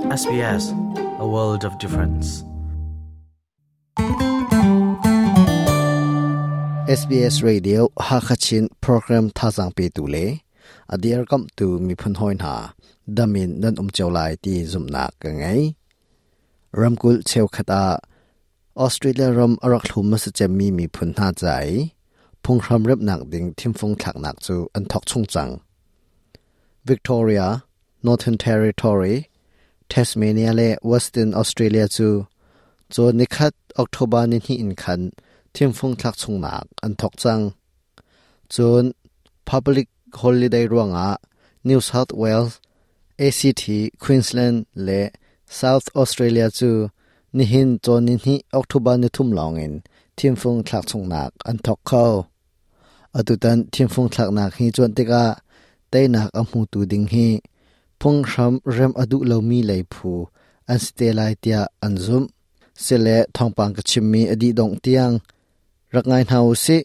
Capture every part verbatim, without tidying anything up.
S B S, a world of difference. S B S Radio Hakachin program thazang pe tu le adiar kam tu mi phun hoin ha damin nan um chawlai ti zumna ka ngai Ramkul cheu khata Australia ram arak thlum ma se chemmi mi phun na chai phunghram rep nak ding thimfung thak nak chu an thok chung chang Victoria, Northern Territory, Tasmania le Western Australia chu cho nikhat October ni hi in khan thimfung thak chung nak an thok chang chon public holiday ruanga New South Wales, A C T, Queensland le South Australia chu nihin chon ni hi October ni thum longin thimfung thak chung nak an thok kho atutan thimfung thak nak hi chon tika teinak amu tu ding hi phunghram rem adu lomi leiphu an stelai tia anzum sele thongpang ka chimmi adi dong tiang rakngai hnau si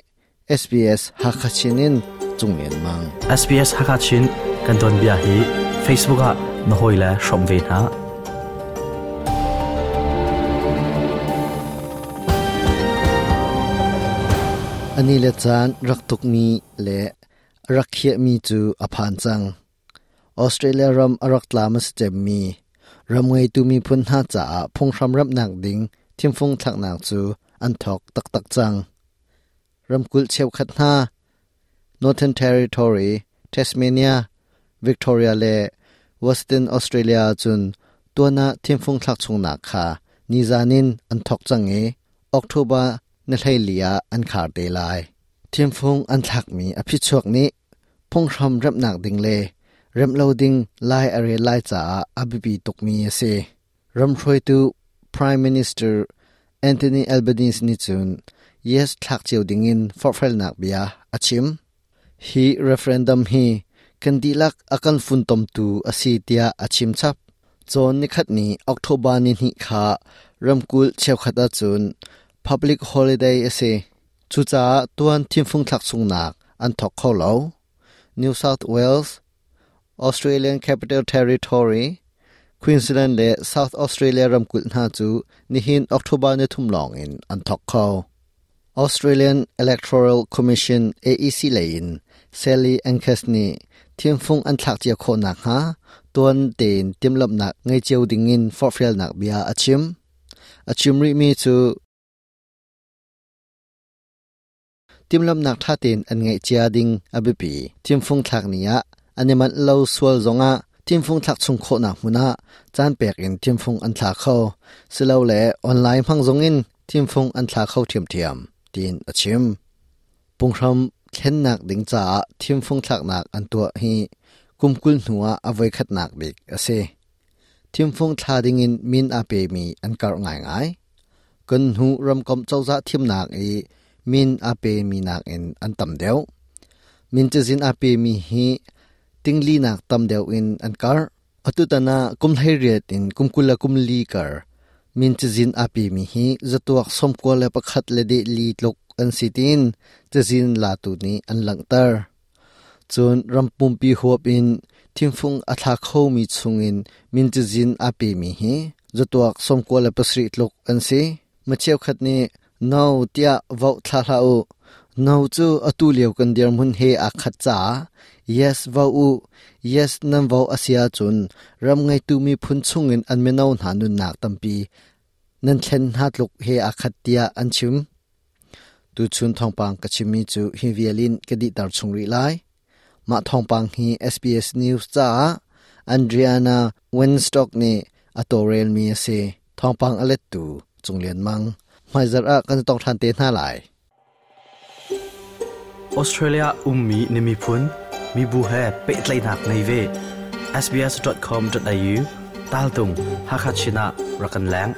S B S Hakachinin chunglen mang S B S Hakachin kan don bia hi Facebook a nohoila shom ve na ani le chan raktuk mi le rakhia mi chu aphan chang Australia ram arak tlamas chemmi ramngai tu mi phun ha cha phunghram ram nak ding thimfung thak nak chu an thok tak tak chang ramkul cheu khat na Northern Territory, Tasmania, Victoria le Western Australia chun tuana thimfung thak chung nak kha nizanin an thok chang e October na hlailia an khar te lai thimfung an thak mi aphi chuak ni phunghram ram nak ding le rem loading lai are lai cha abibi tukmi ase ramhroi tu Prime Minister Anthony Albanese ni chun yes thak cheu dingin forfel nak bia achim hi referendum hi kandilak akan funtom tu asitia achim chap chon ni khat ni October ni hi kha ramkul cheukhata chun public holiday ase chucha tuan thimfung thak sungnak an thok kholo New South Wales, Australian Capital Territory, Queensland le South Australia ramkul na chu nihin October ni thum long in an thok kho Australian Electoral Commission A E C lein Sally Angus ni thimfung an thak chia kho nak ha tuan ten timlap nak ngai cheu ding in forfel nak bia achim achim ri mi chu timlap nak tha ten an ngai chia ding abipi thimfung thak nia animal lo sual zonga thimfung thak chung kho na hmuna chan pek in thimfung an thla kho silo le online phang zongin thimfung an thla kho thiam thiam tin achim punghram thlen nak ding cha thimfung thak nak an tua hi kumkul hnuwa avoi khat nak bik ase thimfung thla ding in min a pe mi an kar ngai ngai kan hu ram kom chawza thim nak e min a pe mi nak in an tam deu min chizin a pe mi hi tingli nak tam deu in an kar atutana kumhlei riat in kumkula kumli kar min chizin a pe mi hi zatuak somko le pakhat le de li tlok an sitin chizin la tu ni an langtar chun rampum pi huap in thimfung atha kho mi chungin min chizin a pe mi hi zatuak somko le pasri tlok an si macheu khat ni no tia vau thla hla u no chu atu leu kan dir mun he a khat cha yes vau u yes nam vau asia chun ram ngai tu mi phun chungin an meno na nun nak tampi nan thlen ha tluk he a khat tia an chim tu chun thongpang ka chimi chu hi vialin ka di tar chungri lai ma thongpang hi S B S News cha Andriana Winstock ni atorel mi ase thongpang alet tu chunglian mang maizar a kan tong than te na lai Australia ummi nimi phun mi bu he pe tlai nak nei ve s b s dot com dot a u tal tung hakachina rakan lang.